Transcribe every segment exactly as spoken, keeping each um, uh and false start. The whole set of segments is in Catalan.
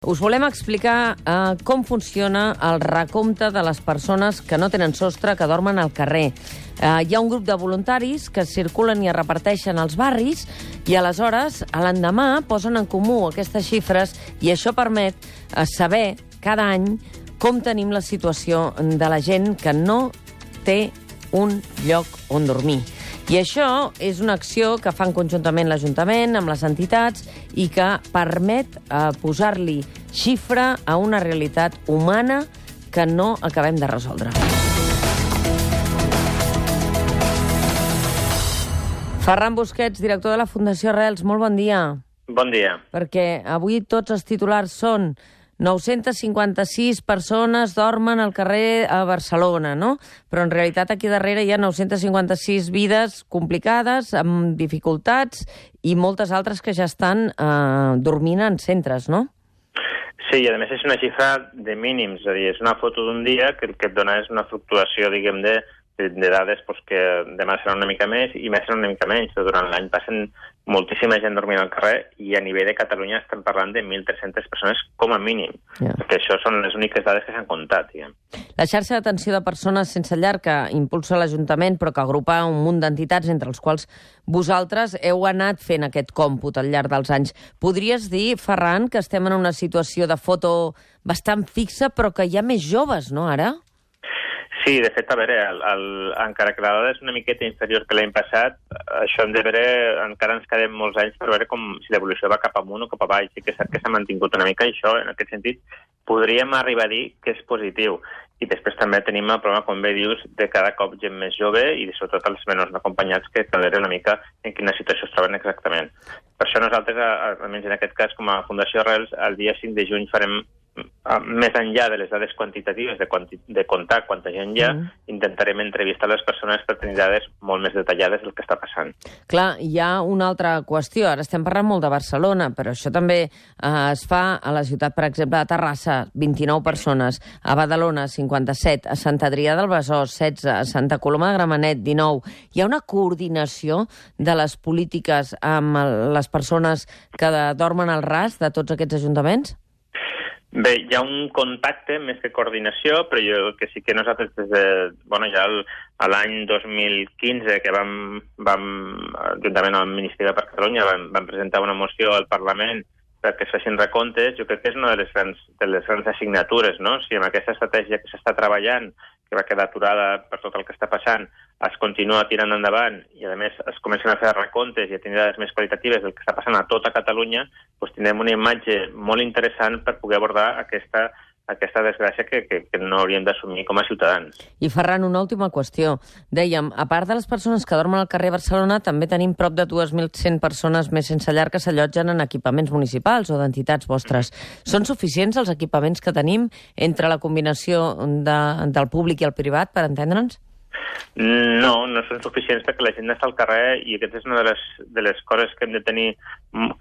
Us volem explicar eh, com funciona el recompte de les persones que no tenen sostre, que dormen al carrer. Eh, hi ha un grup de voluntaris que circulen i es reparteixen als barris i aleshores, a l'endemà, posen en comú aquestes xifres i això permet eh, saber cada any com tenim la situació de la gent que no té un lloc on dormir. I això és una acció que fan conjuntament l'Ajuntament amb les entitats i que permet eh, posar-li xifra a una realitat humana que no acabem de resoldre. Ferran Busquets, director de la Fundació Arrels, molt bon dia. Bon dia. Perquè avui tots els titulars són nou-centes cinquanta-sis persones dormen al carrer a Barcelona, no? Però en realitat aquí darrere hi ha nou-centes cinquanta-sis vides complicades, amb dificultats, i moltes altres que ja estan eh, dormint en centres, no? Sí, i a més és una xifra de mínims, és a dir, és una foto d'un dia que el que et dona és una fluctuació, diguem, de, de, de dades pues, que demà serà una mica més i més serà una mica menys. Durant l'any passen moltíssima gent dormint al carrer i a nivell de Catalunya estem parlant de mil tres-centes persones com a mínim, yeah. Perquè això són les úniques dades que s'han comptat. Diguem. La xarxa d'atenció de persones sense llar que impulsa l'Ajuntament però que agrupa un munt d'entitats entre els quals vosaltres heu anat fent aquest còmput al llarg dels anys. Podries dir, Ferran, que estem en una situació de foto bastant fixa però que hi ha més joves, no, ara? Sí, de fet, a veure, el, el, encara que la dada és una miqueta inferior que l'any passat, això hem de veure, encara ens quedem molts anys per veure com si l'evolució va cap amunt o cap avall. Sí que és cert que s'ha mantingut una mica i això, en aquest sentit, podríem arribar a dir que és positiu. I després també tenim el problema, com bé dius, de cada cop gent més jove i sobretot els menors acompanyats que cal veure una mica en quina situació es troben exactament. Per això nosaltres, almenys en aquest cas, com a Fundació Arrels, el dia cinc de juny farem més enllà de les dades quantitatives de, quanti de comptar quanta gent hi ha, mm. intentarem entrevistar les persones per tenir dades molt més detallades del que està passant. Clar, hi ha una altra qüestió. Ara estem parlant molt de Barcelona, però això també eh, es fa a la ciutat, per exemple, de Terrassa, vint-i-nou persones, a Badalona, cinquanta-set, a Sant Adrià del Besòs, setze, a Santa Coloma de Gramenet, dinou. Hi ha una coordinació de les polítiques amb les persones que dormen al ras de tots aquests ajuntaments? Bé, hi ha un contacte més que coordinació, però jo que sí que nosaltres des de, bueno, ja el, a l'any dos mil quinze que vam, vam juntament amb el Ministeri per Catalunya, vam, vam presentar una moció al Parlament perquè es facin recomptes, jo crec que és una de les grans, de les grans assignatures, no? Si amb aquesta estratègia que s'està treballant, que va quedar aturada per tot el que està passant, es continua tirant endavant i, a més, es comencen a fer recomptes i a tenir dades més qualitatives del que està passant a tota Catalunya, doncs tindrem una imatge molt interessant per poder abordar aquesta, aquesta desgràcia que, que, que no hauríem d'assumir com a ciutadans. I, Ferran, una última qüestió. Dèiem, a part de les persones que dormen al carrer Barcelona, també tenim prop de dos mil cent persones més sense llar que s'allotgen en equipaments municipals o d'entitats vostres. Mm-hmm. Són suficients els equipaments que tenim entre la combinació de, del públic i el privat, per entendre'ns? No, no són suficients perquè la gent està al carrer i aquesta és una de les, de les coses que hem de tenir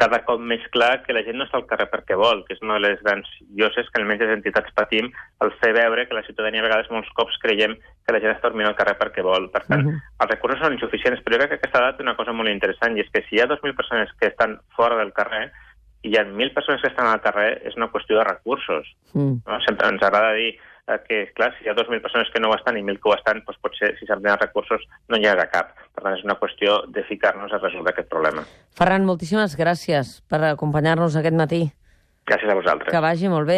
cada cop més clar, que la gent no està al carrer perquè vol, que és una de les grans lloses que almenys les entitats patim al fer veure que la ciutadania a vegades molts cops creiem que la gent està dormint al carrer perquè vol. Per tant, uh-huh. els recursos són insuficients, però jo crec que aquesta dada té una cosa molt interessant i és que si hi ha dos mil persones que estan fora del carrer i hi ha mil persones que estan al carrer, és una qüestió de recursos. Uh-huh. No? Sempre ens agrada dir que, clar, si hi ha dos mil persones que no ho estan i mil que ho estan, doncs potser, si s'han de recursos, no n'hi ha de cap. Per tant, és una qüestió de ficar-nos a resoldre aquest problema. Ferran, moltíssimes gràcies per acompanyar-nos aquest matí. Gràcies a vosaltres. Que vagi molt bé.